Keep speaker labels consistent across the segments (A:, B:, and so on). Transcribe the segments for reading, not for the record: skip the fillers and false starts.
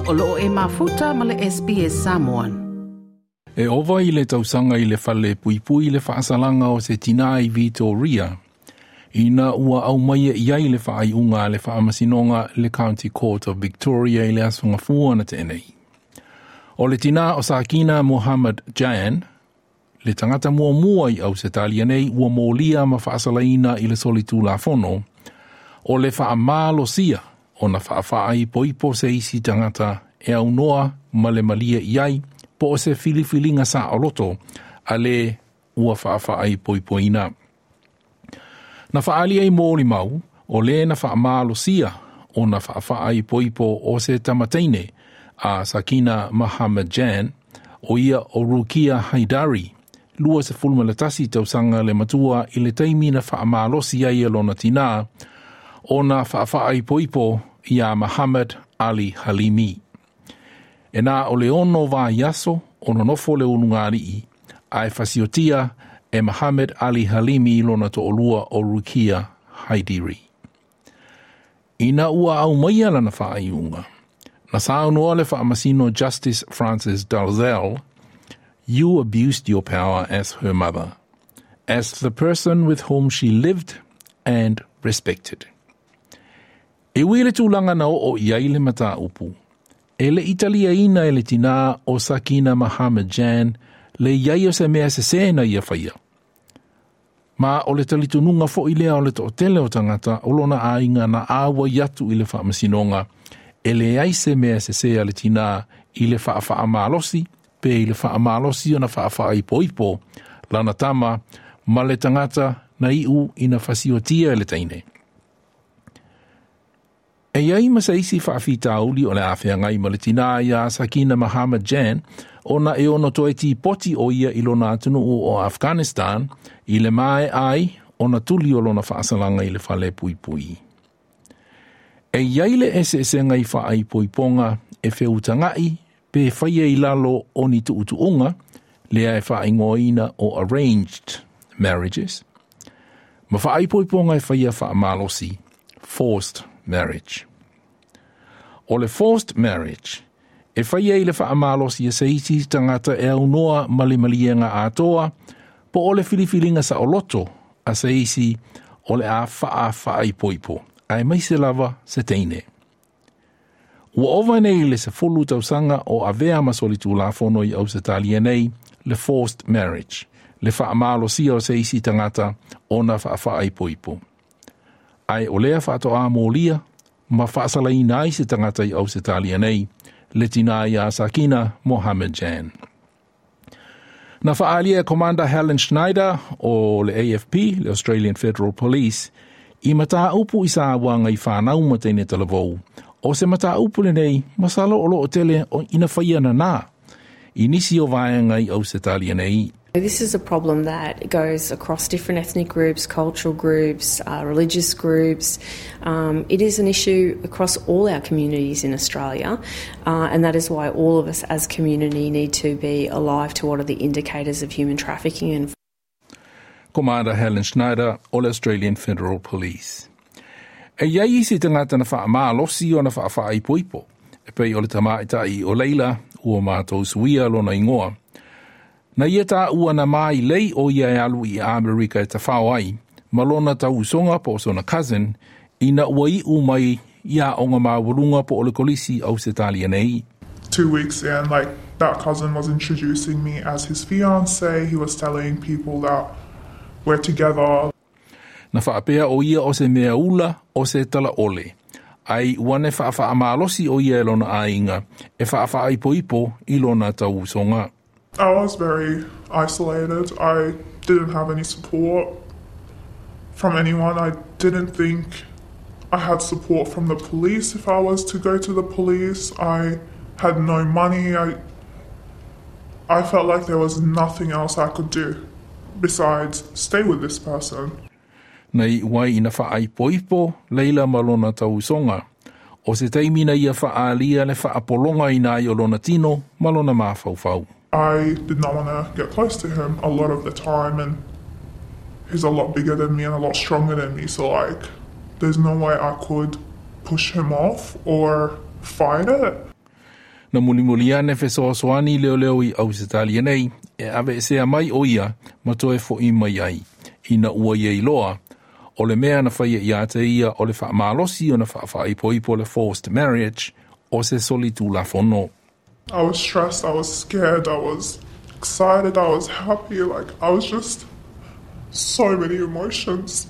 A: O loo e mafuta ma le SBS Samoan.
B: E ova i le tausaga i le fale puipui le faasalaga o se tinā i Vitoria, ina ua aumaia i ai le faaiuga a le faamasinoga le County Court of Victoria i le Aso Gafua na tea nei. O le tinā o Sakina Mohammed Jan, le tagata muamua i Ausetalia nei ua molia ma faasalaina i le solitulafono, o le faamalosia ona faafaaipoipo se isi tagata e aunoa ma le malie i ai po o se filifiliga saoloto a le ua faafaaipoipoina. Na faaali ai molimau o le na faamalosia ona faafaaipoipo o se tamateine a Sakina Mohammed Jan, o ia o Rukia Haidari, 21 tausaga le matua i le taimi na faamalosi ai e lona tinā ona faafaaipoipo iā Mohammed Ali Halimi. E na o le 6 vaiaso o nonofo le ulugalii, ae fasiotia e Mohammed Ali Halimi lona toalua o Rukia Haidiri. Ina ua aumaia lana faaiuga, na saunoa le faamasino Justice Francis Dalzell, "You abused your power as her mother, as the person with whom she lived and respected." E ui i le tulaga na oo i ai le mataupu, e le i taliaina e le tinā o Sakina Mohammed Jan le i ai o se mea sesē na ia faia. Ma o le talitonuga foi lea o le toatele o tagata o lona aiga na auai atu i le faamasinoga, e leai se mea sesē a le tinā i le faafaamalosi pe i le faamalosi ona faafaaipoipo lana tama ma le tagata na iu ina fasiotia e le teine. E i ai ma se isi faafitauli o le a feagai ma le tinā iā Sakina Mohammed Jan ona e ono toe tipoti o ia i lona atunuu o Afghanistan i le maea ai ona tuli o lona faasalaga i le fale puipui. E i ai le eseesega i faaipoipoga e feutagai pe faia i lalo o ni tuutuuga lea e faaigoaina o arranged marriages, ma faaipoipoga e faia faamalosi, forced marriage. O le forced marriage, e faia i le faamalosi e se isi tagata e aunoa ma le maliega atoa, po o le filifiliga saoloto a se isi o le a faafaaipoipo, aemaise lava se teine. Ua ova nei le 10 tausaga o avea ma solitulafono i Ausetalia nei le forced marriage, le faamalosia o se isi tagata ona faafaaipoipo. Ae o lea faatoa molia ma faasalaina ai se tagata i Ausetalia nei, le tinā iā Sakina Mohammed Jan. Na faaalia e Commander Helen Schneider o le AFP, le Australian Federal Police, i mataupu i sauaga i fanau ma teine talavou, o se mataupu lenei masalo o loo tele o ina faia nanā i nisi o vaega i Ausetalia nei.
C: This is a problem that goes across different ethnic groups, cultural groups, religious groups. It is an issue across all our communities in Australia, and that is why all of us as community need to be alive to what are the indicators of human trafficking and
B: Commander Helen Schneider o le Australian Federal Police. E i ai isi tagata na faamalosi ona faafaaipoipo, e pei o le tamaitai o Leila ua matou suia lona igoa. Na ia taua na mailei o ia e alu i Amerika e tafao ai, ma lona tauusoga po o sona cousin, ina ua iu mai i aoga maualuga po o le kolisi i Ausetalia nei.
D: 2 weeks in, like, that cousin was introducing me as his fiance. He was telling people that we're together.
B: Na faapea o ia o se mea ula o se talaole, ai ua ne faafaamalosi o ia e lona aiga e faafaaipoipo i lona tauusoga.
D: I was very isolated. I didn't have any support from anyone. I didn't think I had support from the police if I was to go to the police. I had no money. I felt like there was nothing else I could do besides stay with this person.
B: Na iu ai ina faaipoipo Leila ma lona tauusoga. O se taimi na ia faaalia le faapologaina ai o lona tino ma lona mafaufau.
D: I did not want to get close to him a lot of the time, and he's a lot bigger than me and a lot stronger than me, so, like, there's no way I could push him off or fight it.
B: Na mulimuli ane fesoasoani leoleo i Ausetalia nei e aveesea mai ʻo ia ma toe foʻi mai ai, ina ua ia iloa, o le mea na faia ia te ia o le faamalosi ona faafaaipoipo le forced marriage o se solitulafono.
D: I was stressed, I was scared, I was excited, I was happy, like I was just so many emotions.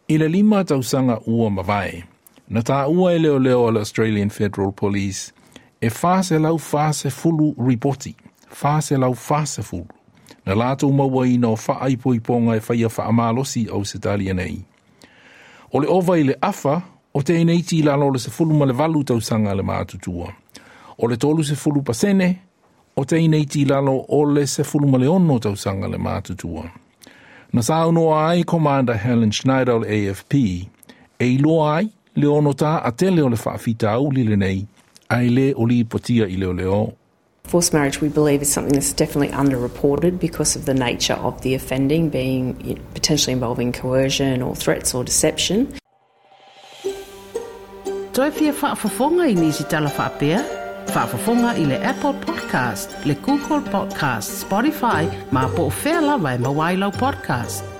B: I le 5 tausaga ua mavae, na taua e leoleo a le Australian Federal Police e 440 ripoti, 440, na latou mauaina o faaipoipoga e faia faamalosi i Ausetalia nei. O le ova i le afa o teineiti i lalo o le 18 tausaga le matutua. O le 30% o teineiti i lalo o le 16 tausaga le matutua. Na saunoa ai Commander Helen Schneider o le AFP e iloa ai le ono taatele o le faafitauli lenei ae le o lipotia i leoleo.
C: Forced marriage, we believe, is something that's definitely underreported because of the nature of the offending being potentially involving coercion or threats or deception.
A: Toe fia faafofoga i nisi tala faapea? Faafofoga i le Apple Podcast, le Google Podcast, Spotify, ma po o fea lava e maua ai lau podcast.